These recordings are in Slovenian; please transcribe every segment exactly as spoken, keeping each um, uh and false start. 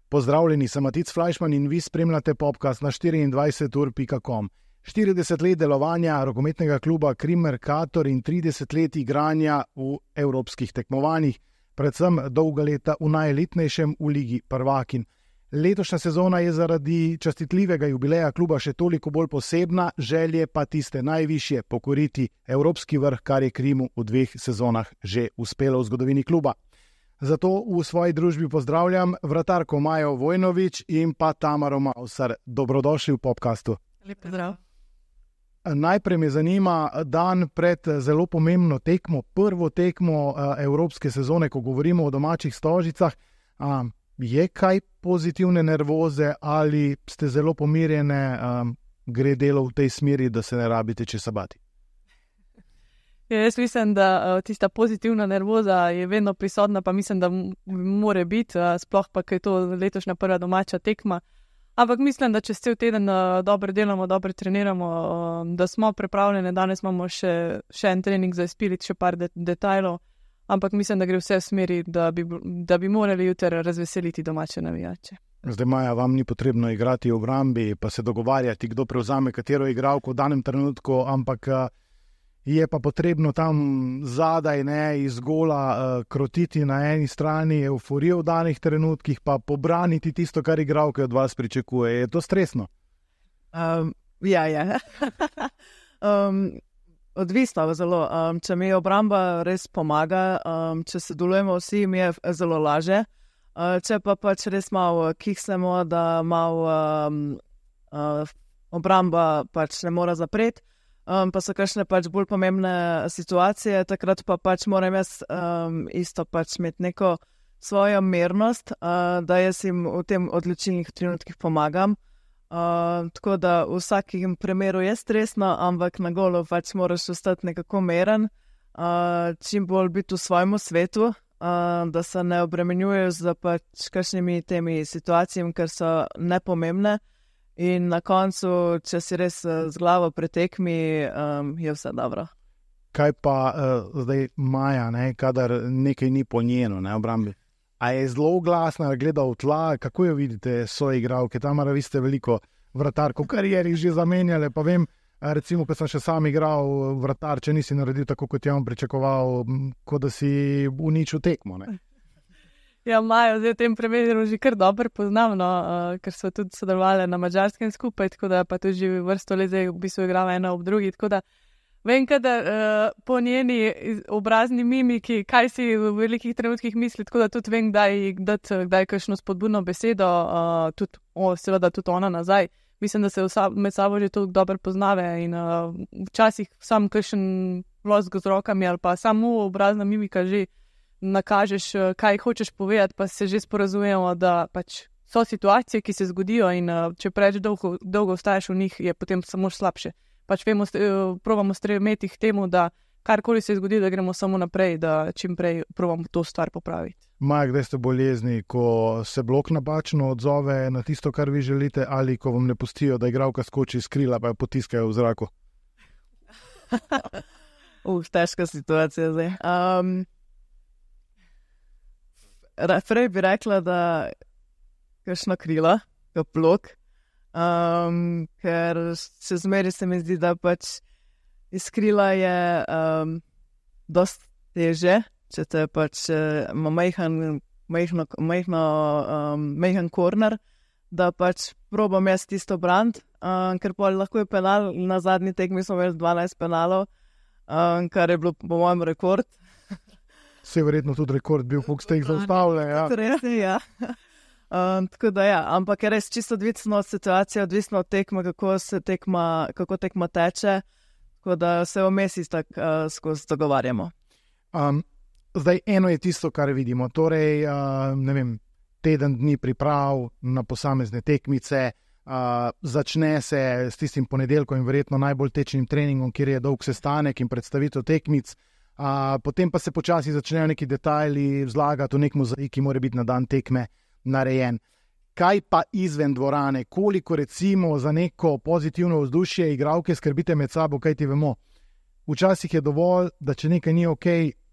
Pozdravljeni, sem Matic Flajšman in vi spremljate podcast na štiriindvajset ur pika com. štirideset let delovanja rokometnega kluba Krim Mercator in trideset let igranja v evropskih tekmovanjih, predvsem dolga leta v najelitnejšem v ligi prvakinj. Letošnja sezona je zaradi častitljivega jubileja kluba še toliko bolj posebna, želje pa tiste najvišje pokoriti evropski vrh, kar je Krimu v dveh sezonah že uspelo v zgodovini kluba. Zato v svoji družbi pozdravljam vratarko Majo Vojnović in pa Tamaro Mausar. Dobrodošli v podcastu. Lep pozdrav. Najprej me zanima dan pred zelo pomembno tekmo, prvo tekmo evropske sezone, ko govorimo o domačih Stožicah. Je kaj pozitivne nervoze ali ste zelo pomirjene, gre delo v tej smeri, da se ne rabite česa bati? Ja, jaz mislim, da tista pozitivna nervoza je vedno prisotna, pa mislim, da more biti, sploh pa, ker je to letošnja prva domača tekma. Ampak mislim, da čez cel teden dobro delamo, dobro treniramo, da smo pripravljeni. Danes imamo še, še en trening za izpiliti, še par de- detajlov, ampak mislim, da gre vse v smeri, da bi, da bi morali jutri razveseliti domače navijače. Zdaj, Maja, vam ni potrebno igrati v obrambi, pa se dogovarjati, kdo prevzame katero igralko v danem trenutku, ampak je pa potrebno tam zadaj, ne, iz gola uh, krotiti na eni strani euforijo v danih trenutkih, pa pobraniti tisto, kar igralke od vas pričakuje. Je to stresno? Um, ja, ja. um, odvisno zelo. Um, če mi obramba res pomaga, um, če se delujemo vsi, mi je zelo laže. Uh, če pa pač res malo kiksemo, da malo um, uh, obramba pač ne mora zapreti, Um, pa so kakšne pač bolj pomembne situacije, takrat pa pač moram jaz um, isto pač imeti neko svojo mirnost, uh, da jaz jim v tem odločilnih trenutkih pomagam. Uh, tako da v vsakem primeru je stresno, ampak na golu pač moraš ostati nekako miren, uh, čim bolj biti v svojemu svetu, uh, da se ne obremenjuješ z pač kakšnimi temi situacijami, ker so nepomembne. In na koncu, če si res z glavo pretekmi, um, je vse dobro. Kaj pa uh, zdaj Maja, ne, kadar nekaj ni po njeno, ne, obrambi? A je zelo glasna, gleda v tla, kako jo vidite soigralke? Tamara, vi ste veliko vratarko v karieri že zamenjali, pa vem, recimo, ko sem še sam igral vratar, če nisi naredil tako, kot je on pričakoval, kot da si uničil tekmo, ne? Ja, Majo, zdaj v tem primeru že kar dobro poznam, no, uh, ker so tudi sodelovali na Madžarskem skupaj, tako da pa tudi že vrsto let zdaj v bistvu igrava ena ob drugi, tako da vem, kadar uh, po njeni obrazni mimiki, kaj si v velikih trenutkih misli, tako da tudi vem, kdaj dati kdaj kakšno spodbudno besedo, uh, tudi, o, seveda tudi ona nazaj. Mislim, da se vsa, med sabo že toliko dobro poznave in uh, včasih sam kakšen losk z rokami ali pa samo obrazna mimika že nakažeš, kaj hočeš povedati, pa se že sporazumemo, da pač so situacije, ki se zgodijo in če preveč dolgo, dolgo ostaješ v njih, je potem samo slabše. Pač vemo, probamo stremeti k temu, da karkoli se zgodi, da gremo samo naprej, da čim prej probamo to stvar popraviti. Maja, kdaj ste bolezni, ko se blok napačno odzove na tisto, kar vi želite, ali ko vam ne pustijo, da igralka skoči iz krila, pa jo potiskajo v zraku? uh, težka situacija zdaj. Um... Prej bi rekla, da kakšno krilo, kot blok, um, ker še zmeri se mi zdi, da pač iz krila je um, dosti teže, če te pač ima majhen, majhno, majhno, um, majhen korner, da pač probam jaz tisto brand, um, ker pa lahko je penal, na zadnji tekmi smo imeli dvanajst penalov, um, kar je bilo po mojem rekord. Se je verjetno tudi rekord bil, koliko ste jih zaustavili. Ja. Res je, ja. Um, tako da ja, ampak je res čisto odvisno od situacije, odvisno od tekma, kako se tekma, kako tekma teče, tako da se vmes tak uh, skozi dogovarjamo. Um, zdaj, eno je tisto, kar vidimo, torej, uh, ne vem, teden dni priprav na posamezne tekmice, uh, začne se s tistim ponedeljkom in verjetno najbolj tečnim treningom, kjer je dolg sestanek in predstavitev tekmic. Uh, potem pa se počasi začnejo neki detajli vzlagati v nek mozaik, ki mora biti na dan tekme narejen. Kaj pa izven dvorane? Koliko recimo za neko pozitivno vzdušje igralke skrbite med sabo, kaj ti vemo? včasih je dovolj, da če nekaj ni ok,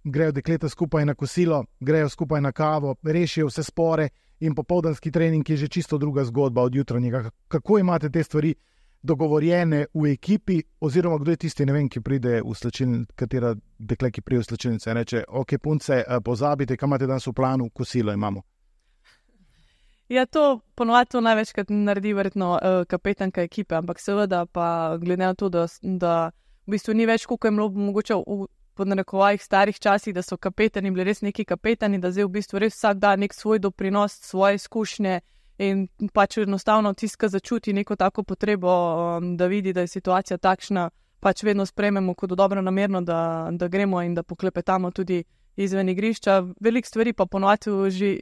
grejo dekleta skupaj na kosilo, grejo skupaj na kavo, rešijo vse spore in popoldanski trening je že čisto druga zgodba od jutranjega. Kako imate te stvari dogovorjene v ekipi, oziroma kdo je tisti, ne vem, ki pride v slačilnico, katera dekle, ki pride v slačilnico in reče, ok, punce, pozabite, kaj imate danes v planu, kosilo imamo. Ja, to ponovadi to največkrat naredi verjetno uh, kapetanka ekipe, ampak seveda pa glede na to, da, da v bistvu ni več, koliko je bilo mogoče v podnarekovajih starih časih, da so kapetani bili res neki kapetani, da zdaj v bistvu res vsak da nek svoj doprinos, svoje izkušnje in pač enostavno tiska začuti neko tako potrebo, um, da vidi, da je situacija takšna, pač vedno sprejmemo kot dobro namerno, da, da gremo in da poklepetamo tudi izven igrišča. Veliko stvari pa ponovadi že,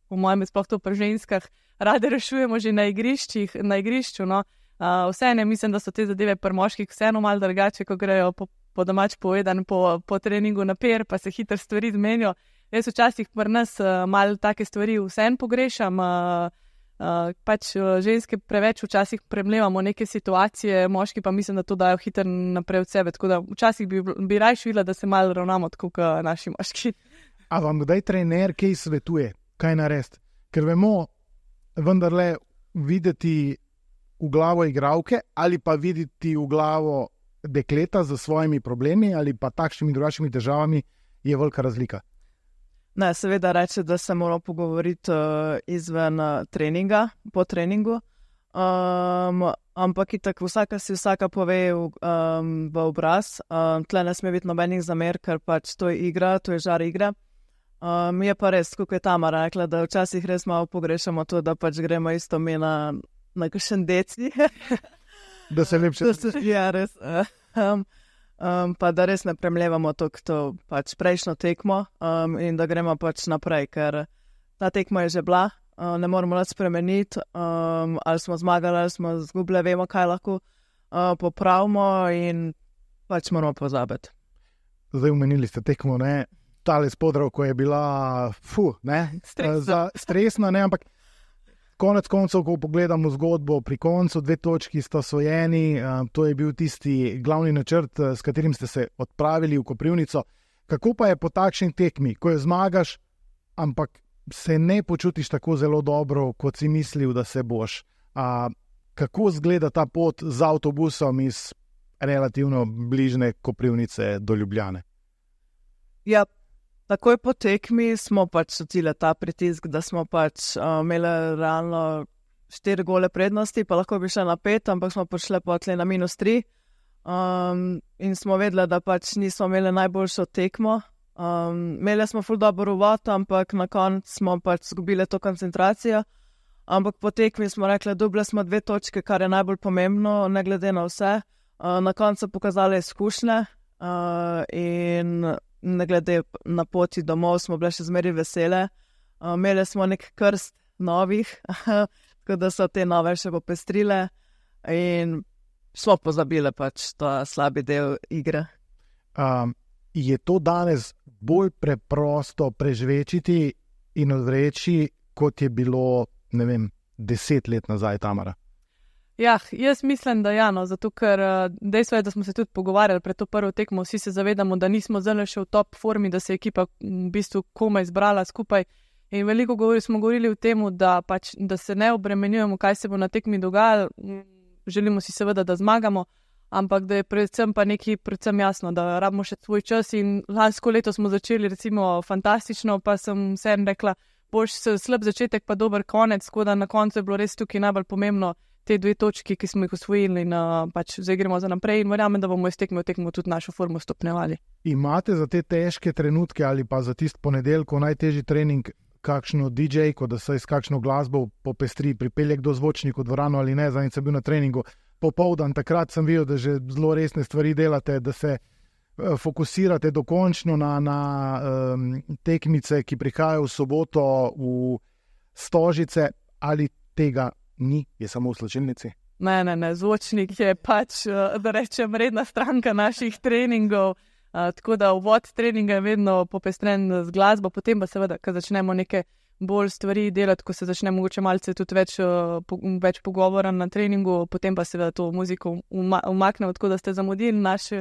po mojem, sploh to pri ženskah, rade rešujemo že na igriščih, na igrišču, no. Uh, vseeno mislim, da so te zadeve pri moških vseeno malo drugače, ko grejo po, po domač povedan, po, po treningu na per, pa se hitro stvari zmenijo. Jaz včasih pri nas uh, malo take stvari vseeno pogrešam, uh, uh, pač uh, ženske preveč včasih premlevamo neke situacije, moški pa mislim, da to dajo hitro naprej od sebe, tako da včasih bi, bi rajš videla, da se malo ravnamo tako kot naši moški. A vam kdaj trener kaj svetuje, kaj narediti? Ker vemo, vendarle videti v glavo igralke ali pa videti v glavo dekleta z svojimi problemi ali pa takšnimi drugačnimi težavami je velika razlika. Ne, seveda reče, da se moramo pogovoriti uh, izven uh, treninga, po treningu, um, ampak itak vsaka si vsaka pove v, um, v obraz. Um, tle ne sme biti nobenih zamer, ker pač to je igra, to je žar igre. Um, je pa res, kako je Tamara rekla, da včasih res malo pogrešamo to, da pač gremo isto mi na, na kakšen deci. Da se lepše. Ja, res. Um, um, pa da res ne premljevamo to, to pač prejšnjo tekmo um, in da gremo pač naprej, ker ta tekma je že bila, uh, ne moramo nič spremeniti, um, ali smo zmagali, ali smo zgubili, vemo, kaj lahko uh, popravimo in pač moramo pozabiti. Zdaj umenili ste tekmo, ne? Tale spodrov, ko je bila fu, ne? Stresna. Za, stresna, ne, ampak konec koncev, ko pogledamo zgodbo, pri koncu dve točki sta osvojeni, uh, to je bil tisti glavni načrt, s katerim ste se odpravili v Koprivnico. Kako pa je po takšni tekmi, ko jo zmagaš, ampak se ne počutiš tako zelo dobro, kot si mislil, da se boš? Uh, kako izgleda ta pot z avtobusom iz relativno bližne Koprivnice do Ljubljane? Ja, takoj po tekmi smo pač čutili ta pritisk, da smo pač uh, imeli realno štiri gole prednosti, pa lahko bi šli na pet, ampak smo prišli potlej na minus tri. Um, in smo vedeli, da pač nismo imeli najboljšo tekmo. Um, imeli smo ful dobro uvod, ampak na koncu smo pač zgubili to koncentracijo. Ampak po tekmi smo rekli, dobili smo dve točke, kar je najbolj pomembno, ne glede na vse. Uh, na koncu pokazali izkušnje uh, in ne glede na poti domov smo bile še zmeri vesele. Uh, imeli smo nek krst novih, tako da so te nove še popestrile in smo pozabili pač ta slabi del igre. Um, je to danes bolj preprosto prežvečiti in odreči, kot je bilo, ne vem, deset let nazaj, Tamara? Ja, jaz mislim, da ja, no, zato ker dejstvo je, da smo se tudi pogovarjali pred to prvo tekmo, vsi se zavedamo, da nismo zelo še v top formi, da se je ekipa v bistvu komaj zbrala skupaj in veliko govori, smo govorili o tem, da, pač, da se ne obremenjujemo, kaj se bo na tekmi dogajalo, želimo si seveda, da zmagamo, ampak da je predvsem pa nekaj predvsem jasno, da rabimo še svoj čas in lansko leto smo začeli recimo fantastično, pa sem vsem rekla, boš slab začetek pa dober konec, tako da na koncu je bilo res tukaj najbolj pomembno te dve točki, ki smo jih osvojili in uh, pač zdaj gremo za naprej in verjamem, da bomo iz tekme v tekmo tudi našo formo stopnjevali. Imate za te težke trenutke ali pa za tist ponedeljko najtežji trening kakšno D J, ko da se iz kakšno glasbo popestri, pripelje kdo zvočnik v dvorano ali ne, zadnjič sem bil na treningu popoldan, takrat sem videl, da že zelo resne stvari delate, da se uh, fokusirate dokončno na, na um, tekmice, ki prihajajo v soboto v Stožice, ali tega ni, je samo v slačilnici? Ne, ne, ne, zvočnik je pač, da rečem, redna stranka naših treningov, uh, tako da uvod treninga je vedno popestren z glasbo, potem pa seveda, ko začnemo neke bolj stvari delati, ko se začne mogoče malce tudi več, uh, po, več pogovora na treningu, potem pa seveda to muziko uma, umaknemo, tako da ste zamudili naš,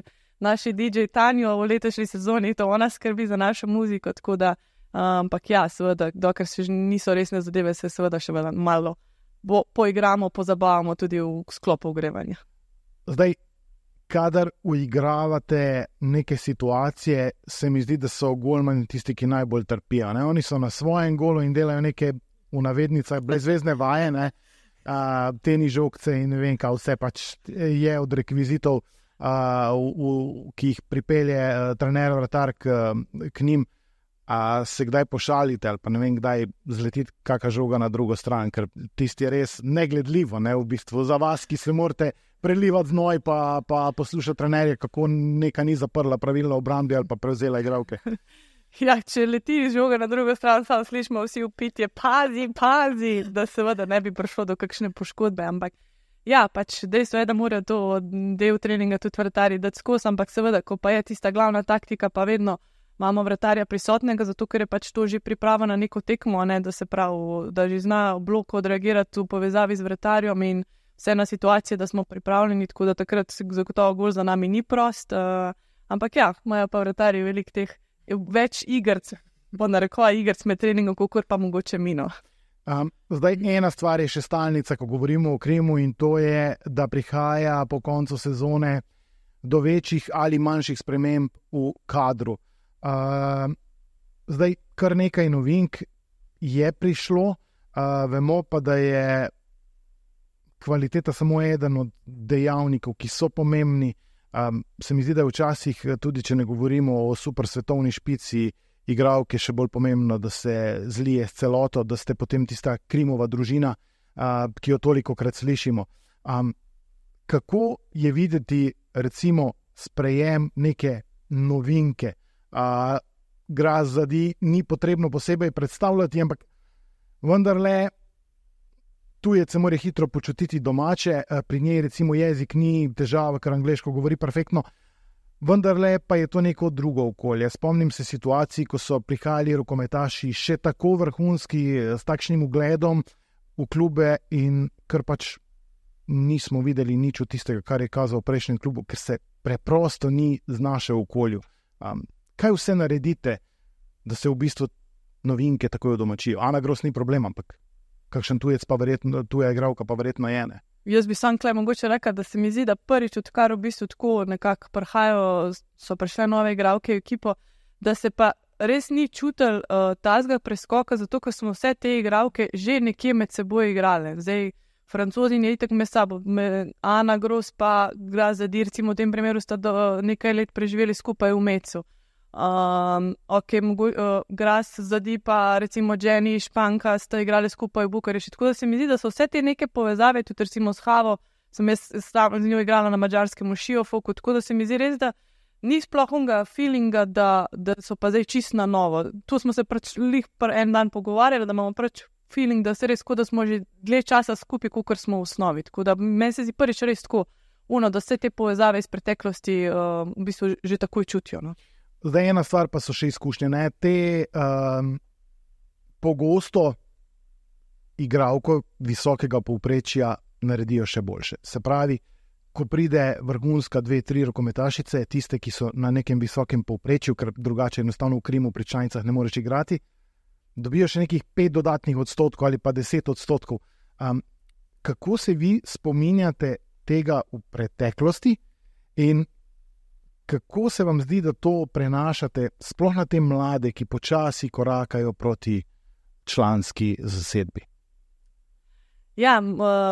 naši D J Tanjo v letošnji sezoni, to ona skrbi za našo muziko, tako da, ampak ja, seveda, dokler še niso resne zadeve, se seveda še malo bo, poigramo, pozabavamo tudi v sklopu ogrevanja. Zdaj, kadar uigravate neke situacije, se mi zdi, da so golmani tisti, ki najbolj trpijo. Ne? Oni so na svojem golu in delajo neke v navednicah brezvezne vaje, ne? Uh, teni žogce in ne vem, kaj vse pač je od rekvizitov, uh, v, v, ki jih pripelje uh, trener vratar k, k njim. A se kdaj pošalite ali pa ne vem, kdaj zletiti kakšna žoga na drugo stran, ker tisti je res negledljivo, ne, v bistvu za vas, ki se morate prelivati znoj pa, pa poslušati trenerje, kako neka ni zaprla pravilno obrambi ali pa prevzela igralke. Ja, če leti žoga na drugo stran, samo slišimo vsi vpitje, pazi, pazi, da seveda ne bi prišlo do kakšne poškodbe, ampak ja, pač dejstvo je, da morajo to del treninga tudi vratarji dati skozi, ampak seveda, ko pa je tista glavna taktika, pa vedno imamo vratarja prisotnega, zato ker je pač to že priprava na neko tekmo, ne, da se pravi, da že zna v bloku odreagirati v povezavi z vratarjem in vse na situacije, da smo pripravljeni, tako da takrat zagotovo gol za nami ni prost, uh, ampak ja, imajo pa vratarji veliko teh, več igrc, bo narekoval igrc med treningom, kakor pa mogoče mino. Um, zdaj, ena stvar je še stalnica, ko govorimo o Krimu, in to je, da prihaja po koncu sezone do večjih ali manjših sprememb v kadru. Uh, zdaj, kar nekaj novink je prišlo, uh, vemo pa, da je kvaliteta samo eden od dejavnikov, ki so pomembni. Um, se mi zdi, da je včasih, tudi če ne govorimo o super svetovni špici, igralke še bolj pomembno, da se zlije s celoto, da ste potem tista Krimova družina, uh, ki jo tolikokrat slišimo. Um, kako je videti, recimo, sprejem neke novinke? Uh, Grazadi ni potrebno posebej predstavljati, ampak vendarle tujec se mora hitro počutiti domače, uh, pri njej recimo jezik ni težava, ker angleško govori perfektno, vendarle pa je to neko drugo okolje. Spomnim se situacij, ko so prihajali rokometaši še tako vrhunski, s takšnim ugledom v klube in kar pač nismo videli nič od tistega, kar je kazal v prejšnjem klubu, ker se preprosto ni znašel v okolju. Um, Kaj vse naredite, da se v bistvu novinke takoj domačijo? Ana Gros ni problem, ampak kakšen tujec pa verjetno, tuja igralka pa verjetno je, ne? Jaz bi sam klej mogoče rekla, da se mi zdi, da prvič, odkar v bistvu tako nekako prihajajo, so prišle nove igralke v ekipo, da se pa res ni čutil uh, tazga preskoka, zato ker smo vse te igralke že nekje med seboj igrale. Zdaj, Francozi je itak med sabo, Ana Gros pa Grazadi, recimo v tem primeru sta do, nekaj let preživeli skupaj v Mecu. Um, ok, mogo, uh, Gras, Zadi pa recimo Jenny, Španka sta igrali skupaj v Bukarešti, tako da se mi zdi, da so vse te neke povezave, tudi recimo s Havo, sem jaz z njo igrala na mađarskem v Šiofoku, tako da se mi zdi res, da ni sploh onega feelinga, da, da so pa zdaj čisto na novo. Tu smo se pač lih en dan pogovarjali, da imamo pač feeling, da se res, kot da smo že dlje časa skupaj, kakor smo v osnovi, tako da meni se zdi prvič res tako, uno, da vse te povezave iz preteklosti uh, v bistvu že takoj čutijo, no. Zdaj, ena stvar pa so še izkušnje. Ne? Te um, pogosto igralko visokega povprečja naredijo še boljše. Se pravi, ko pride vrhunska dve, tri rokometašice, tiste, ki so na nekem visokem povprečju, ker drugače enostavno v Krimu pri članicah ne moreš igrati, dobijo še nekih pet dodatnih odstotkov ali pa deset odstotkov. Um, kako se vi spominjate tega v preteklosti in kako se vam zdi, da to prenašate sploh na te mlade, ki počasi korakajo proti članski zasedbi? Ja,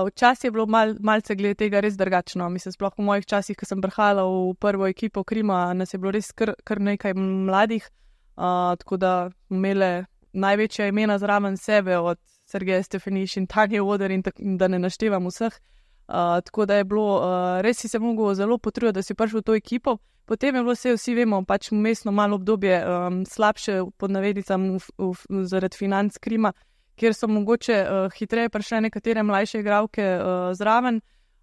včasih je bilo mal, malce glede tega res drugačno. Mislim, sploh v mojih časih, ko sem prihajala v prvo ekipo Krima, nas je bilo res kar, kar nekaj mladih, uh, tako da imele največja imena zraven sebe, od Sergeja Stefanič in Tanje Oder in tak, da ne naštevam vseh. Uh, tako da je bilo, uh, res si se mogel zelo potruditi, da si prišel v to ekipo. Potem je bilo vse, vsi vemo, pač mestno malo obdobje um, slabše pod navednicam zaradi financ Krima, kjer so mogoče uh, hitreje prišle nekatere mlajše igralke uh, zraven.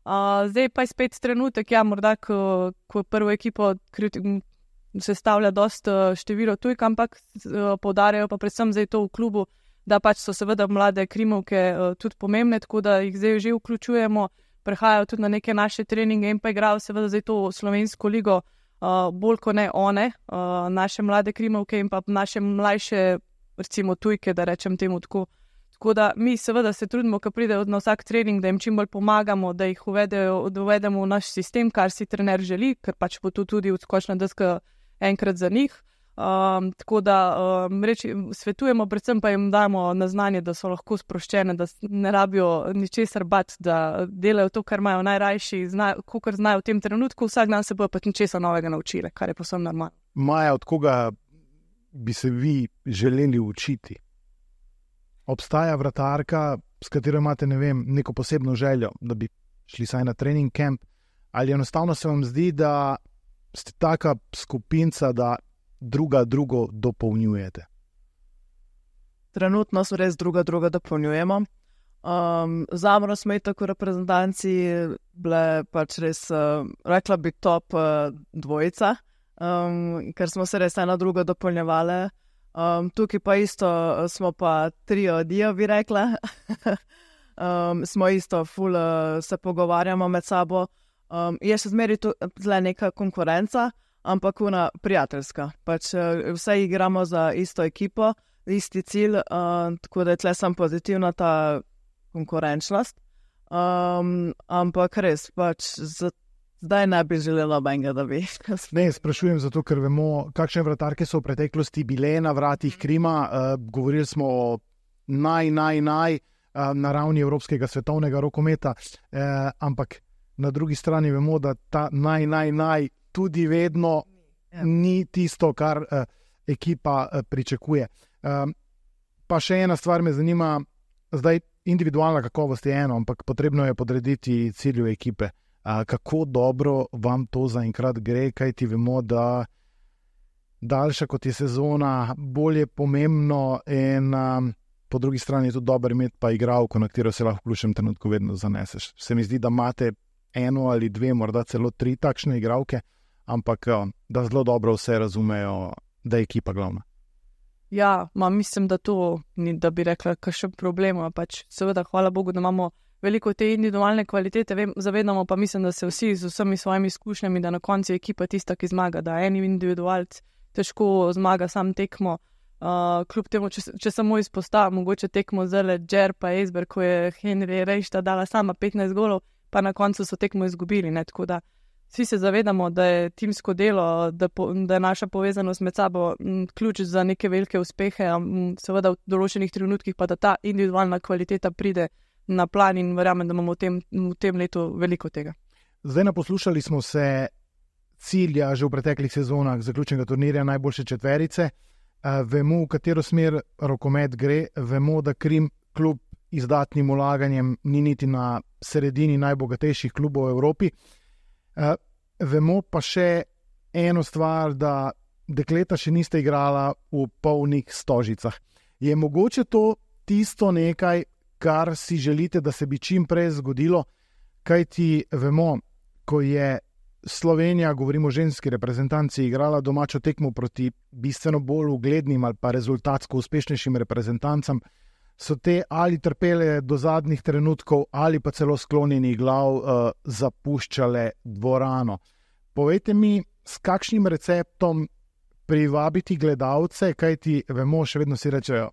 Uh, zdaj pa je spet trenutek, ja, morda, ko, ko prvo ekipo sestavlja dost uh, število tujk, ampak uh, poudarjajo pa predvsem zdaj to v klubu, da pač so seveda mlade Krimovke uh, tudi pomembne, tako da jih zdaj že vključujemo, prehajajo tudi na neke naše treninge in pa igrajo seveda zdaj to slovensko ligo. uh, bolj kot ne one, uh, naše mlade krimovke in pa naše mlajše, recimo tujke, da rečem temu tako. Tako da mi seveda se trudimo, ko pridejo na vsak trening, da jim čim bolj pomagamo, da jih uvedejo, da uvedemo v naš sistem, kar si trener želi, ker pač bo to tudi odskočna deska enkrat za njih. Um, tako da um, reči, svetujemo, predvsem pa jim damo na znanje, da so lahko sproščene, da ne rabijo ničesar bati, da delajo to, kar imajo najrajši, kakor znajo v tem trenutku, vsak dan se bojo pa ničesar novega naučili, kar je povsem normalno. Maja, od koga bi se vi želeli učiti? Obstaja vratarka, s katero imate, ne vem, neko posebno željo, da bi šli saj na trening camp, ali enostavno se vam zdi, da ste taka skupinca, da druga drugo dopolnjujete? Trenutno smo res druga druga dopolnjujemo. Um, Zamro smo i tako reprezentanci bile pač res, uh, rekla bi top uh, dvojica, um, ker smo se res ena druga dopolnjevale. Um, tukaj pa isto smo pa trio dio, bi rekla. um, smo isto ful uh, se pogovarjamo med sabo. Um, je še zmeri tu zle neka konkurenca, ampak ona prijateljska. Pač uh, vse igramo za isto ekipo, isti cilj, uh, tako da je tle sam pozitivna ta konkurenčnost. Um, ampak res, pač z, zdaj ne bi želela benga, da bi. Ne, sprašujem zato, ker vemo, kakšne vratarke so v preteklosti bile na vratih Krima. Uh, govorili smo o naj, naj, naj uh, na ravni evropskega svetovnega rokometa, uh, ampak na drugi strani vemo, da ta naj, naj, naj tudi vedno ja. ni tisto, kar uh, ekipa uh, pričakuje. Um, pa še ena stvar me zanima, zdaj individualna kakovost je eno, ampak potrebno je podrediti cilju ekipe. Uh, kako dobro vam to zaenkrat gre, kaj ti vemo, da daljša kot je sezona, bolj je pomembno in um, po drugi strani je tudi dobro imeti pa igralko, na katero se lahko v ključnem trenutku vedno zaneseš. Se mi zdi, da imate eno ali dve, morda celo tri takšne igralke, ampak da zelo dobro vse razumejo, da je ekipa glavna. Ja, ma mislim, da to ni, da bi rekla, kakšen problem, pač seveda, hvala Bogu, da imamo veliko te individualne kvalitete, vem, zavedamo pa mislim, da se vsi z vsemi svojimi izkušnjami, da na koncu je ekipa tista, ki zmaga, da en individualc težko zmaga sam tekmo, uh, kljub temu, če, če samo izpostavim, mogoče tekmo zele Džer pa Esber, ko je Henry Rejšta dala sama petnajst golov, pa na koncu so tekmo izgubili, ne, tako da vsi se zavedamo, da je timsko delo, da, po, da je naša povezanost med sabo m, ključ za neke velike uspehe, m, seveda v določenih trenutkih pa da ta individualna kvaliteta pride na plan in verjamem, da imamo v tem, v tem letu veliko tega. Zdaj naposlušali smo se cilja že v preteklih sezonah zaključnega turnirja najboljše četverice, vemo, v katero smer rokomet gre, vemo, da Krim klub izdatnim vlaganjem ni niti na sredini najbogatejših klubov v Evropi. Uh, vemo pa še eno stvar, da dekleta še niste igrala v polnih stožicah. Je mogoče to tisto nekaj, kar si želite, da se bi čim prej zgodilo, kajti vemo, ko je Slovenija, govorimo o ženski reprezentanci, igrala domačo tekmo proti bistveno bolj uglednim ali pa rezultatsko uspešnejšim reprezentancam, so te ali trpele do zadnjih trenutkov ali pa celo sklonjenih glav uh, zapuščale dvorano. Povejte mi, s kakšnim receptom privabiti gledalce, kajti vemo, še vedno si rečejo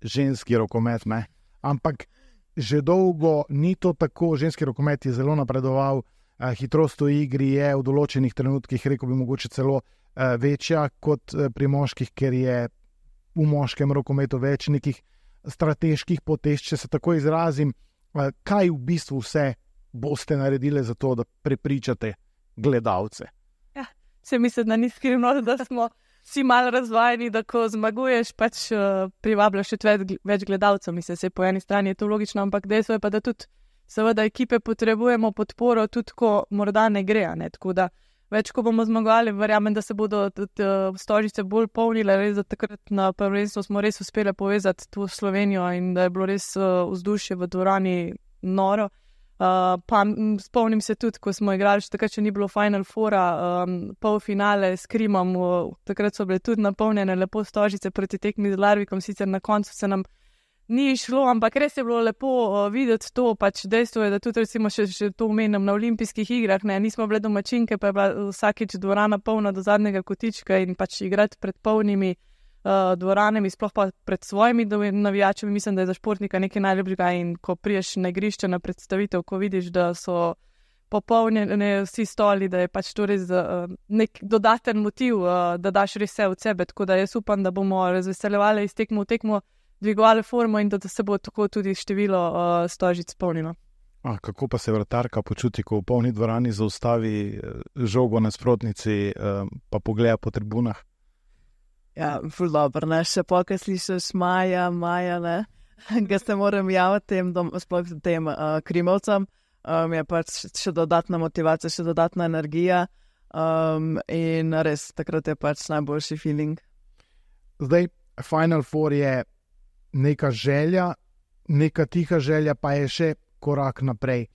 ženski rokomet, ne? Ampak že dolgo ni to tako, ženski rokomet je zelo napredoval, uh, hitrost v igri je v določenih trenutkih, rekel bi mogoče celo uh, večja kot uh, pri moških, ker je v moškem rokometu več nekih strateških potez, če se tako izrazim, kaj v bistvu vse boste naredili za to, da prepričate gledalce? Ja, se mislim, da ni skrivno, da smo vsi malo razvajeni, da ko zmaguješ, pač uh, privabljaš še več, več gledalcev. Mislim, se po eni strani je to logično, ampak dejstvo je pa, da tudi seveda ekipe potrebujemo podporo, tudi ko morda ne gre, ne, tako da več, ko bomo zmagovali, verjamem, da se bodo stožice bolj polnile, res da takrat na prvenstvu smo res uspeli povezati to Slovenijo in da je bilo res vzdušje v dvorani noro. Uh, pa spomnim se tudi, ko smo igrali, še takrat, če ni bilo Final Foura, um, polfinale s Krimom, takrat so bile tudi napolnjene lepo stožice proti tekmi z Larvikom, sicer na koncu se nam ni šlo, ampak res je bilo lepo uh, videti to, pač dejstvo je, da tudi recimo še, še to omenim na olimpijskih igrah, ne, nismo bile domačinke, pa je bila vsakič dvorana polna do zadnjega kotička in pač igrati pred polnimi uh, dvoranami, sploh pa pred svojimi navijačami, mislim, da je za športnika nekaj najlepšega in ko priješ na igrišče na predstavitev, ko vidiš, da so popolnjene vsi stoli, da je pač to res uh, nek dodaten motiv, uh, da daš res vse od sebe, tako da jaz upam, da bomo razveseljevali iz tekmo v tekmo, dvigovali formo in da se bo tako tudi število uh, stožic polnilo. A, kako pa se vratarka počuti, ko v polni dvorani zaustavi žogo na nasprotnici, uh, pa pogleda po tribunah? Ja, ful dobro, ne, še pokaj slišiš Maja, Maja, ne, ga se moram javiti tem, dom, sploh tem uh, krimovcem, um, je pač še dodatna motivacija, še dodatna energija um, in res, takrat je pač najboljši feeling. Zdaj, Final Four je neka želja, neka tiha želja, pa je še korak naprej.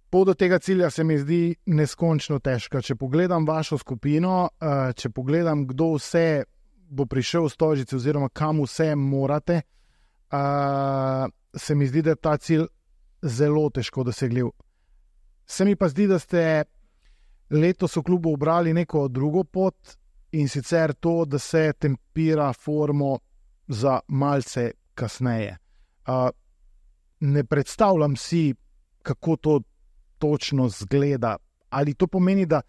Pot do tega cilja se mi zdi neskončno težka. Če pogledam vašo skupino, če pogledam, kdo vse bo prišel v Stožice oziroma kam vse morate, se mi zdi, da je ta cilj zelo težko dosegljiv. Se mi pa zdi, da ste letos v klubu ubrali neko drugo pot in sicer to, da se tempira formo za malce kasneje. Uh, ne predstavljam si, kako to točno zgleda. Ali to pomeni, da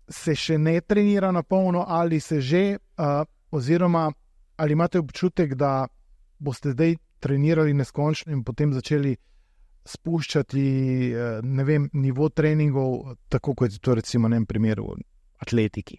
se še ne trenira na polno, ali se že, uh, oziroma ali imate občutek, da boste zdaj trenirali neskončno in potem začeli spuščati uh, ne vem, nivo treningov, tako kot je to recimo v primeru atletiki.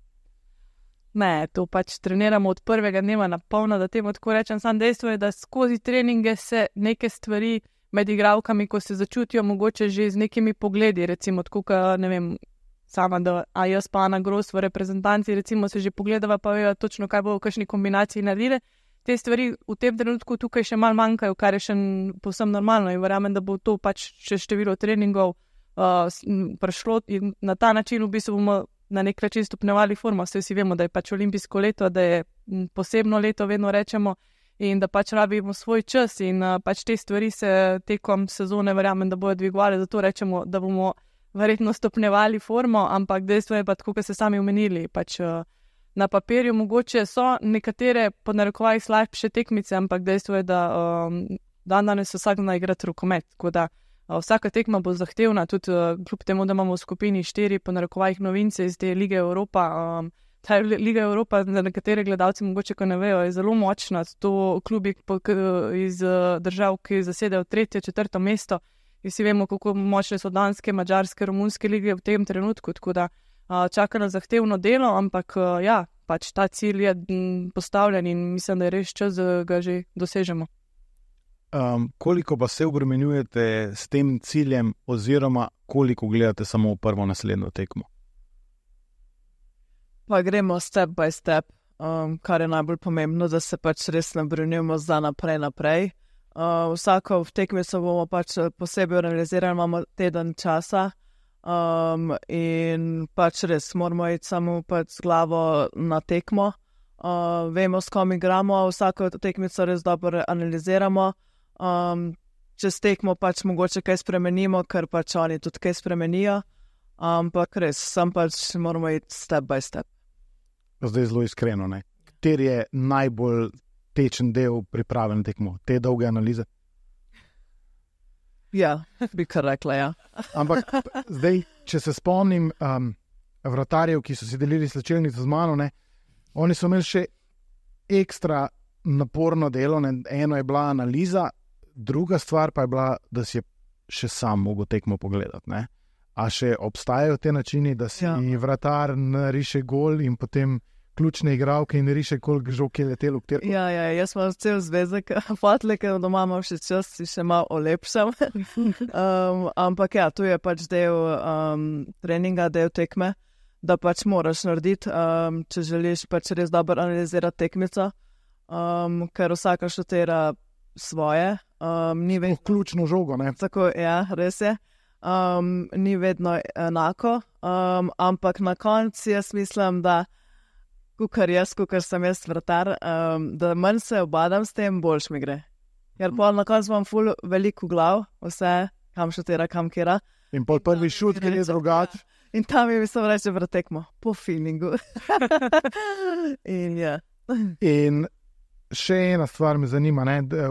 Ne, to pač treniramo od prvega dneva na polno, da temu tako rečem. Sam dejstvo je, da skozi treninge se neke stvari med igralkami, ko se začutijo mogoče že z nekimi pogledi, recimo tako, ne vem, sama, da a jaz pa Ana Gros v reprezentanci, recimo se že pogledava, pa vejo točno, kaj bo v kakšni kombinaciji naredile. Te stvari v tem trenutku tukaj še malo manjkajo, kar je še povsem normalno in verjamem, da bo to pač še število treningov uh, prišlo in na ta način v bistvu bomo na nek način stopnjevali formo. Vse vsi vemo, da je pač olimpijsko leto, da je posebno leto, vedno rečemo, in da pač rabimo svoj čas in uh, pač te stvari se tekom sezone verjamem, da bojo dvigovali, zato rečemo, da bomo verjetno stopnjevali formo, ampak dejstvo je pa tako, kot ste sami omenili, pač uh, na papirju mogoče so nekatere po narekovajih slabše tekmice, ampak dejstvo je, da um, dan danes vsak zna igrati rokomet, tako da vsaka tekma bo zahtevna, tudi uh, kljub temu, da imamo v skupini štiri po narekovajih novince iz te Lige Evropa. Um, ta Liga Evropa, za nekatere gledalci mogoče, ko ne vejo, je zelo močna. To klubi iz uh, držav, ki zasedajo tretje, četrto mesto. In vsi vemo, kako močne so danske, mađarske, romunske lige v tem trenutku. Tako da uh, čaka na zahtevno delo, ampak uh, ja, pač ta cilj je m, postavljen in mislim, da je res čas, da ga že dosežemo. Um, koliko pa se obremenjujete s tem ciljem oziroma koliko gledate samo v prvo naslednjo tekmo? Pa gremo step by step, um, kar je najbolj pomembno, da se pač res nabrenjujemo za naprej naprej. Uh, vsako v tekmico bomo pač posebej organizirali, imamo teden časa um, in pač res moramo iti samo pač z glavo na tekmo. Uh, vemo, s kom igramo, vsako tekmico res dobro analiziramo. Um, čez tekmo pač mogoče kaj spremenimo, ker pač oni tudi kaj spremenijo, ampak res, sam pač moramo iti step by step. Zdaj zelo iskreno, ne? Kateri je najbolj tečen del priprave na tekmo? Te dolge analize? Ja, bi kar rekla, ja. Ampak zdaj, če se spomnim um, vratarjev, ki so si delili slačilnico z mano, ne? Oni so imeli še ekstra naporno delo, ne? Eno je bila analiza, druga stvar pa je bila, da si je še sam mogel tekmo pogledati. Ne? A še obstajajo te načini, da si ja. vratar nariše gol in potem ključne igralke in nariše, koliko žog je letelo? Kter... Ja, ja, jaz imam cel zvezek, fatle, ker doma imam še čas, si še malo olepšam. um, ampak ja, tu je pač del um, treninga, del tekme, da pač moraš narediti, um, če želiš pač res dobro analizirati tekmico, um, ker vsaka šutira svoje. Um, ni vedno ključno žogo, ne? Tako, ja, res je. Um, ni vedno enako, um, ampak na koncu jaz mislim, da kukar jaz, kukar sem jaz vratar, um, da manj se obadam s tem, boljš mi gre. Ker pol na koncu imam ful veliko glav, vse, kam šutira, kam kera. In pol prvi šut, ker je drugač. In tam je mislim reči, vratekmo, po feelingu. In ja. In še ena stvar me zanima, ne, da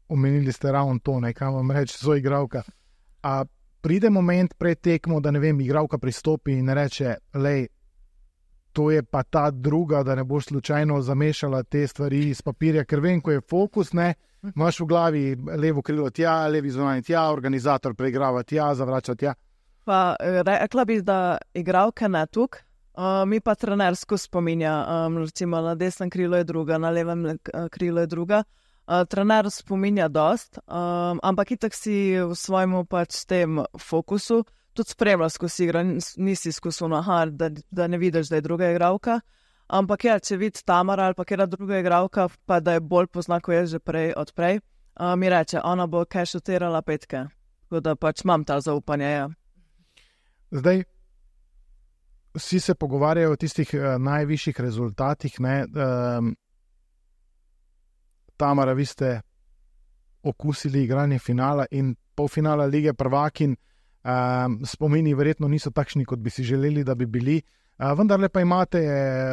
omenili ste ravno to, ne, kam vam reči, so igralka. A pride moment pred tekmo, da ne vem, igralka pristopi in reče, lej, to je pa ta druga, da ne boš slučajno zamešala te stvari iz papirja, ker vem, ko je fokus, ne, imaš v glavi levo krilo tja, levi zunanji tja, organizator preigrava tja, zavrača tja. Pa rekla bi, da igralka ne tuk, uh, mi pa trenersko spominja, um, recimo na desnem krilu je druga, na levem krilu je druga. Uh, trener spominja dost, um, ampak itak si v svojemu pač tem fokusu tudi spremlja skozi igro, nisi skozi aha, da, da ne vidiš, da je druga igralka. Ampak ja, če vidi Tamara ali pa kjera druga igralka, pa da je bolj pozna, ko je že prej odprej, uh, mi reče, ona bo kaj šutirala petke. Tako da pač imam ta zaupanje, ja. Zdaj, vsi se pogovarjajo o tistih uh, najvišjih rezultatih, ne, um, Tamara, vi ste okusili igranje finala in polfinala Lige prvakinj. Um, spomini verjetno niso takšni, kot bi si želeli, da bi bili. Uh, vendarle pa imate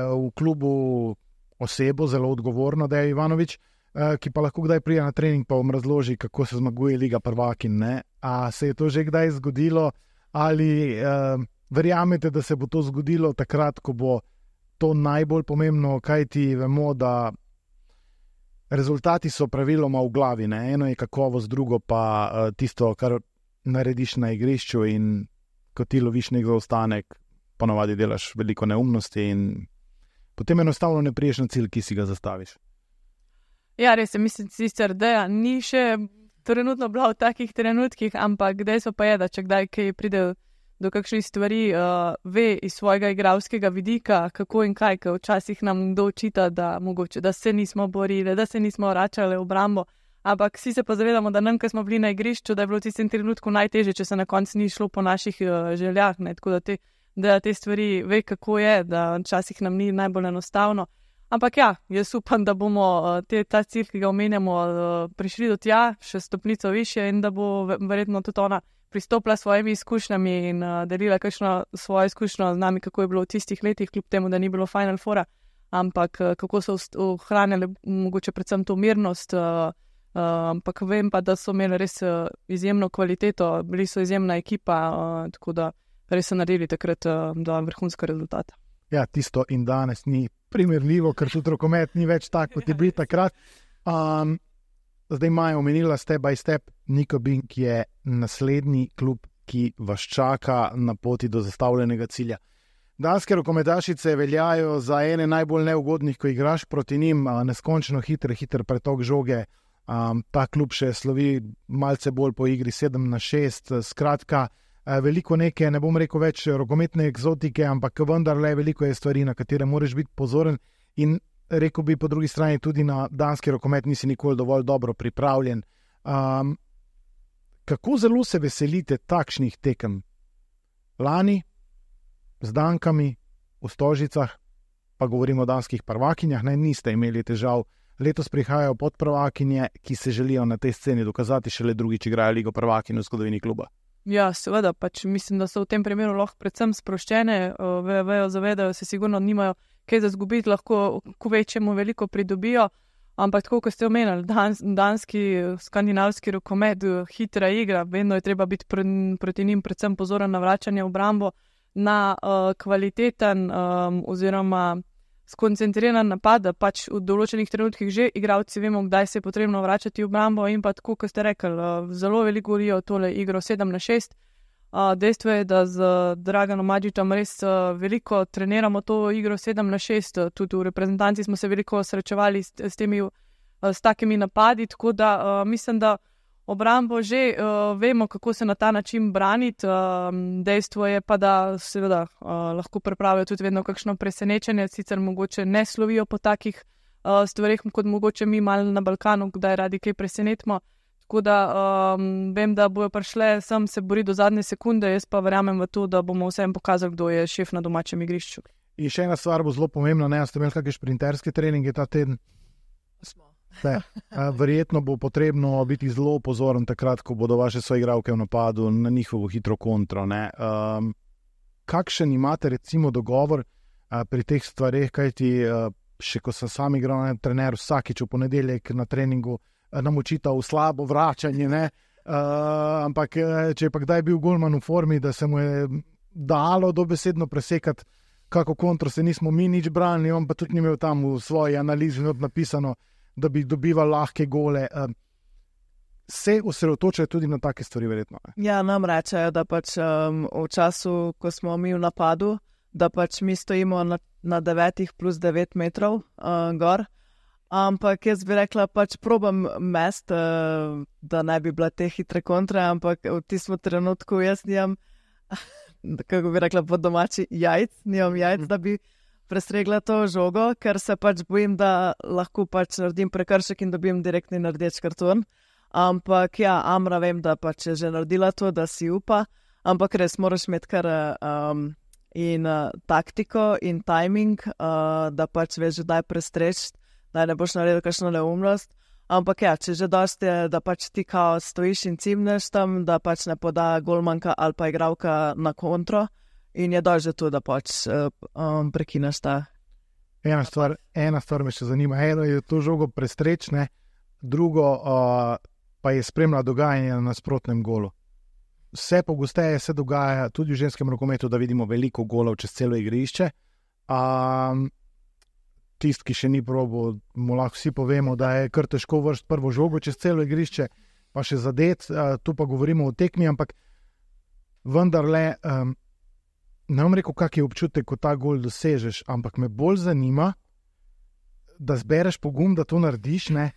v klubu osebo, zelo odgovorno, da je Ivanovič, uh, ki pa lahko kdaj prija na trening pa vam razloži, kako se zmaguje Liga prvakinj. Ne? A se je to že kdaj zgodilo? Ali uh, verjamete, da se bo to zgodilo takrat, ko bo to najbolj pomembno, kajti vemo, da rezultati so praviloma v glavi, ne? Eno je kakovost, drugo pa uh, tisto, kar narediš na igrišču, in ko ti loviš nek zaostanek, ponovadi delaš veliko neumnosti in potem enostavno ne priješ na cilj, ki si ga zastaviš. Ja, res je, mislim sicer, da ni še trenutno bila v takih trenutkih, ampak dejstvo pa je, da če kdaj kaj pride do kakšnih stvari, uh, ve iz svojega igralskega vidika, kako in kaj, ker včasih nam kdo očita, da mogoče, da se nismo borili, da se nismo vračali v obrambo, ampak vsi se pa zavedamo, da nam, ko smo bili na igrišču, da je bilo v tistem trenutku najtežje, če se na koncu ni šlo po naših uh, željah, ne, tako da te, da te stvari ve, kako je, da včasih nam ni najbolj enostavno. Ampak ja, jaz upam, da bomo uh, te, ta cilj, ki ga omenjamo, uh, prišli do tja, še stopnico više, in da bo verjetno tudi ona pristopila s svojimi izkušnjami in uh, delila kakšno svojo izkušnjo z nami, kako je bilo v tistih letih, kljub temu, da ni bilo Final Foura, ampak uh, kako so ohranjali mogoče predvsem to mirnost, uh, uh, ampak vem pa, da so imeli res uh, izjemno kvaliteto, bili so izjemna ekipa, uh, tako da res so naredili takrat uh, do vrhunska rezultata. Ja, tisto in danes ni primerljivo, ker tudi rokomet ni več tak, kot je bil takrat. Um, zdaj Maja omenila step by step, Niko Bink je naslednji klub, ki vas čaka na poti do zastavljenega cilja. Danske rokometašice veljajo za ene najbolj neugodnih, ko igraš proti njim, neskončno hiter, hiter pretok žoge. Um, ta klub še slovi malce bolj po igri sedem na šest, skratka, veliko neke, ne bom rekel več rokometne eksotike, ampak vendarle veliko je stvari, na katere moraš biti pozoren, in rekel bi po drugi strani tudi na danski rokomet nisi nikoli dovolj dobro pripravljen. Um, kako zelo se veselite takšnih tekem? Lani z Dankami v Stožicah, pa govorimo o danskih prvakinjah, ne, niste imeli težav. Letos prihajajo podprvakinje, ki se želijo na tej sceni dokazati, šele drugič igrajo Ligo prvakinj v zgodovini kluba. Ja, seveda, pač mislim, da so v tem primeru lahko predvsem sproščene, vejo, vejo, zavedajo se, sigurno nimajo kaj za zgubiti, lahko ko večjemu veliko pridobijo, ampak tako, kot ste omenili, dans, danski, skandinavski rokomet, hitra igra, vedno je treba biti pr, proti njim predvsem pozoren na vračanje v obrambo, na uh, kvaliteten um, oziroma skoncentriran napad, da pač v določenih trenutkih že igralci vemo, kdaj se je potrebno vračati v obrambo, in pa tako, kot ste rekli, zelo veliko govorijo tole igro sedem na šest. Dejstvo je, da z Draganom Madžičem res veliko treniramo to igro sedem na šest, tudi v reprezentanci smo se veliko srečevali s, s temi, s takimi napadi, tako da mislim, da obrambo že uh, vemo, kako se na ta način braniti. Uh, dejstvo je pa, da seveda uh, lahko pripravijo tudi vedno kakšno presenečenje, sicer mogoče ne slovijo po takih uh, stvarih, kot mogoče mi malo na Balkanu, kdaj radi kaj presenetimo. Tako da um, vem, da bojo prišle sem se boriti do zadnje sekunde, jaz pa verjamem v to, da bomo vsem pokazali, kdo je šef na domačem igrišču. In še ena stvar bo zelo pomembna, ne, ste imeli kakšne šprinterske treninge ta teden? Smo. Ne. Verjetno bo potrebno biti zelo pozoren takrat, ko bodo vaše soigralke v napadu na njihovo hitro kontro. Ne. Um, kakšen imate recimo dogovor uh, pri teh stvareh, kajti uh, še ko sem sam igral na trener, vsakič v ponedeljek na treningu uh, nam očital slabo vračanje, ne. Uh, ampak če je pa kdaj bil golman v formi, da se mu je dalo dobesedno presekati kako kontro, se nismo mi nič branili, on pa tudi ni imel tam v svoji analizi napisano, da bi dobival lahke gole. Se osredotočajo tudi na take stvari, verjetno. Ja, nam rečejo, da pač um, v času, ko smo mi v napadu, da pač mi stojimo na, na devetih plus devet metrov uh, gor, ampak jaz bi rekla, pač probam mest, uh, da ne bi bila te hitre kontre, ampak v tistem trenutku jaz nijam kako bi rekla po domači, jajc, nimam jajc, da bi presregla to žogo, ker se pač bojim, da lahko pač naredim prekršek in dobim direktni rdeč karton. Ampak ja, Amra vem, da pač je že naredila to, da si upa, ampak res moraš imeti kar um, in uh, taktiko in timing, uh, da pač veš, da je prestreč, da ne boš naredil kakšno neumnost. Ampak ja, če že dosti je, da pač ti kao stojiš in cimneš tam, da pač ne poda golmanka ali pa igralka na kontro in je dosti to, da pač um, prekineš ta. Ena stvar, ena stvar me še zanima. Eno je to žogo prestrečne, drugo uh, pa je spremlja dogajanje na nasprotnem golu. Vse pogosteje se dogaja tudi v ženskem rokometu, da vidimo veliko golov čez celo igrišče. Um, Tist, ki še ni probil, mu lahko vsi povemo, da je kar težko vršiti prvo žogo čez celo igrišče, pa še zadet, tu pa govorimo o tekmi, ampak vendarle, um, ne bom rekel, kak je občutek, ko ta gol dosežeš, ampak me bolj zanima, da zbereš pogum, da to narediš, ne,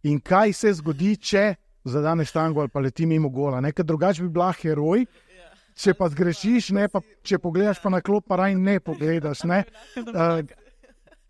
in kaj se zgodi, če zadaneš tango ali pa leti mimo gola, ne, ker drugače bi bila heroj, če pa zgrešiš, ne, pa če pogledaš pa na klop, pa raj ne pogledaš, ne. Uh,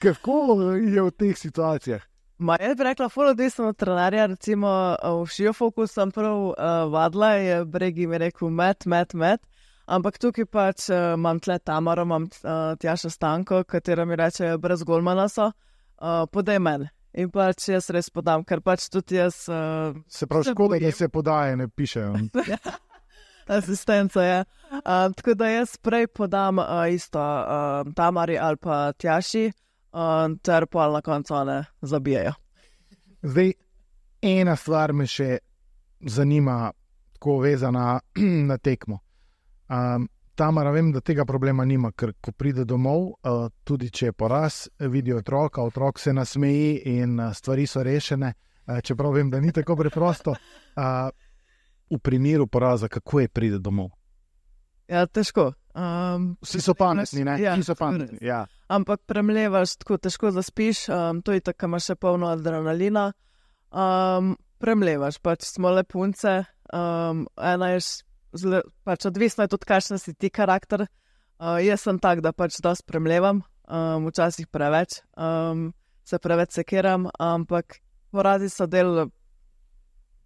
Kako je v teh situacijah? Ma, jaz bi rekla, ful odvisno od trenerja, recimo v Šiofoku sem prav uh, vadila, je Bregi mi rekel met, met, met, ampak tukaj pač uh, imam tle Tamaro, imam uh, Tjaša Stanko, katera mi reče, brez golmana so, uh, podaj meni. In pač jaz res podam, ker pač tudi jaz... Uh, se pravi, škoda, da se podaje, ne pišejo. Asistenca je. Uh, tako da jaz prej podam uh, isto uh, Tamari ali pa Tjaši, Uh, ter pa na koncu one zabijajo. Zdaj, ena stvar me še zanima, tako vezana na tekmo. Um, Tamara, vem, da tega problema nima, ker ko pride domov, uh, tudi če je poraz, vidi otroka, otrok se nasmeji in uh, stvari so rešene, uh, čeprav vem, da ni tako preprosto. Uh, v primeru poraza, kako je pride domov? Ja, težko. Um, Vsi so pametni, ne? Ja, Vsi so pametni, ja. Ampak premlevaš, tako težko zaspiš, um, to je tako, imaš še polno adrenalina. Um, premlevaš, pač smo le punce, um, ena je zle, pač odvisno je tudi, kakšen si ti karakter. Uh, jaz sem tak, da pač dosti premlevam, um, včasih preveč, um, se preveč sekiram, ampak porazi so del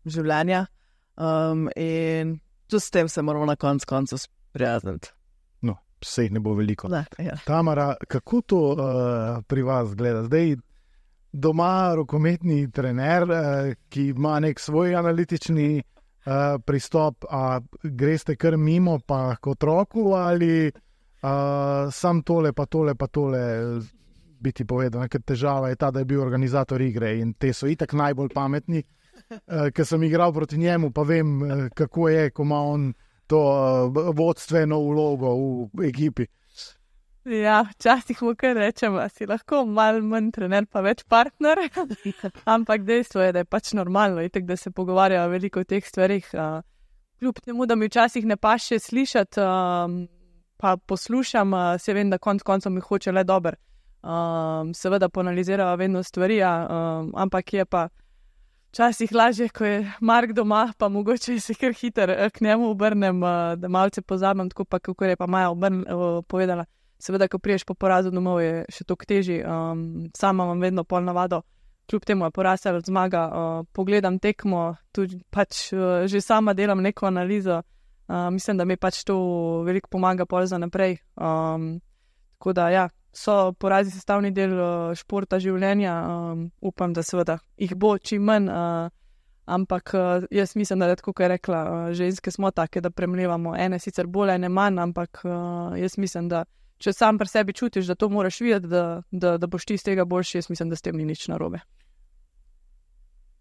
življenja um, in tudi s tem se moramo na koncu koncu sprijazniti. No, vse jih ne bo veliko. Ne, ja. Tamara, kako to uh, pri vas gleda? Zdaj doma rokometni trener, uh, ki ima nek svoj analitični uh, pristop, a greste kar mimo pa k otroku ali uh, sam tole pa tole pa tole biti povedano, ker težava je ta, da je bil organizator igre in te so itak najbolj pametni, uh, ker sem igral proti njemu, pa vem, uh, kako je, ko ima on to uh, vodstveno vlogo v ekipi. Ja, včasih mu kar rečem, si lahko malo manj trener, pa več partner, ampak dejstvo je, da je pač normalno, itek, da se pogovarjajo veliko o teh stvarih. Uh, kljub temu, da mi včasih ne paše slišati, uh, pa poslušam, uh, se vem, da konc koncev mi hoče le dober. Uh, seveda poanalizirajo vedno stvari, uh, ampak je pa včasih lažje, ko je Mark doma, pa mogoče se kar hiter k njemu obrnem, uh, da malce pozabim, tako pa kako je pa Maja obrn, uh, povedala. Seveda, ko priješ po porazu domov, je še toliko težji. Um, sama imam vedno pol navado, kljub temu je poraz ali zmaga, uh, pogledam tekmo, tudi pač uh, že sama delam neko analizo. Uh, mislim, da mi pač to veliko pomaga pol za naprej. Um, tako da ja, so porazi sestavni del uh, športa življenja. Um, upam, da seveda jih bo čim manj, uh, ampak uh, jaz mislim, da je tako, kot je rekla, uh, ženske smo take, da premlevamo ene sicer bolj, ene manj, ampak uh, jaz mislim, da če sam pri sebi čutiš, da to moraš videti, da, da, da boš ti z tega boljši, jaz mislim, da s tem ni nič narobe.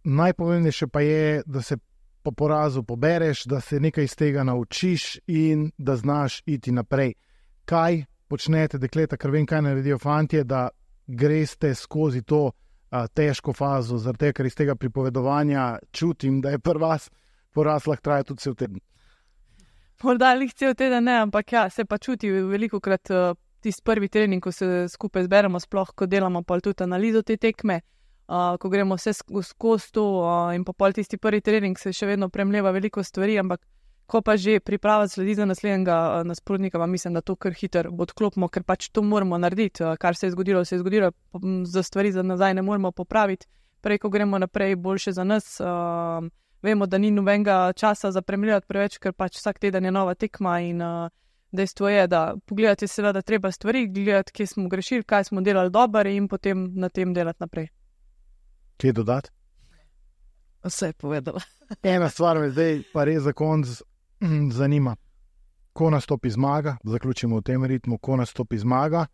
Najpomembnejše pa je, da se po porazu pobereš, da se nekaj iz tega naučiš in da znaš iti naprej. Kaj počnete, dekleta, ker vem, kaj naredijo fantje, da greste skozi to a, težko fazo, zaradi tega, ker iz tega pripovedovanja čutim, da je pri vas poraz lahko traja tudi cel teden. Morda jih cel teden ne, ampak ja, se pa čuti veliko krat uh, tisti prvi trening, ko se skupaj zberemo, sploh, ko delamo pa tudi analizo te tekme, uh, ko gremo vse skozi to uh, in pa pol tisti prvi trening se še vedno premleva veliko stvari, ampak ko pa že priprava sledi za naslednjega uh, nasprotnika, pa mislim, da to kar hitro odklopimo, ker pač to moramo narediti, uh, kar se je zgodilo, se je zgodilo, za stvari za nazaj ne moramo popraviti, prej, ko gremo naprej, boljše za nas. Uh, Vemo, da ni nobenega časa za premljivati preveč, ker pač vsak teden je nova tekma in uh, dejstvo je, da pogledati seveda treba stvari, gledati, kje smo grešili, kaj smo delali dobro in potem na tem delati naprej. Kje dodati? Vse je povedala. Ena stvar me zdaj pa res za konc zanima. Ko nastopi zmaga, zaključimo v tem ritmu, ko nastopi zmaga,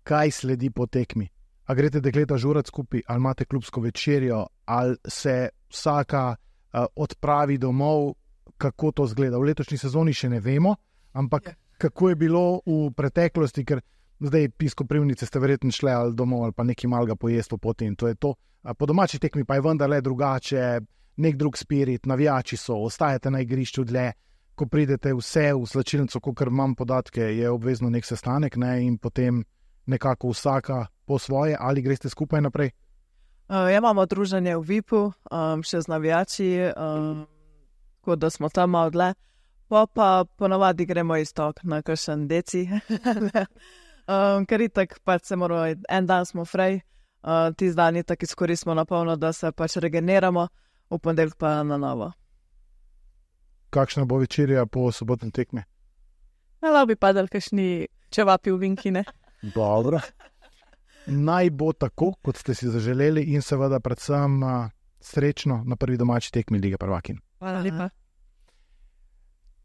kaj sledi po tekmi? A greste dekleta žurat skupaj, ali imate klubsko večerjo, ali se vsaka odpravi domov, kako to zgleda. V letošnji sezoni še ne vemo, ampak kako je bilo v preteklosti, ker zdaj pisko privnice ste verjetno šle ali domov ali pa nekaj malega pojesti po poti in to je to. Po domači tekmi pa je vendarle drugače, nek drug spirit, navijači so, ostajate na igrišču dlje, ko pridete vse v slačilnico, kakor imam podatke, je obvezno nek sestanek, ne, in potem nekako vsaka po svoje, ali greste skupaj naprej? Uh, ja, imamo druženje v V I P-u, um, še z navijači, um, kot da smo tam malo dlje, pa pa ponavadi gremo istok na kakšen deci, um, ker itak pač se moramo, en dan smo frej, uh, tisti dan itak izkoristimo na polno, da se pač regeneramo, v ponedeljek pa na novo. Kakšna bo večerja po sobotnem tekmi? Lahko bi padali kakšni čevapi v vinkine. Dobro. Naj bo tako, kot ste si zaželeli in seveda predvsem uh, srečno na prvi domači tekmi Lige prvakinj. Hvala lepa.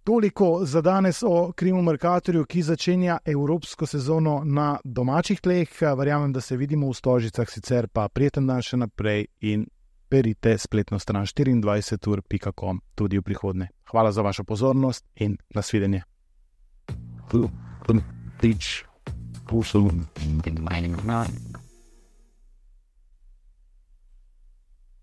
Toliko za danes o Krimu Mercatorju, ki začenja evropsko sezono na domačih tleh. Verjamem, da se vidimo v Stožicah, sicer pa prijeten dan še naprej in berite spletno stran štiriindvajset ur pika com tudi v prihodnje. Hvala za vašo pozornost in nasvidenje. Teach also in mining.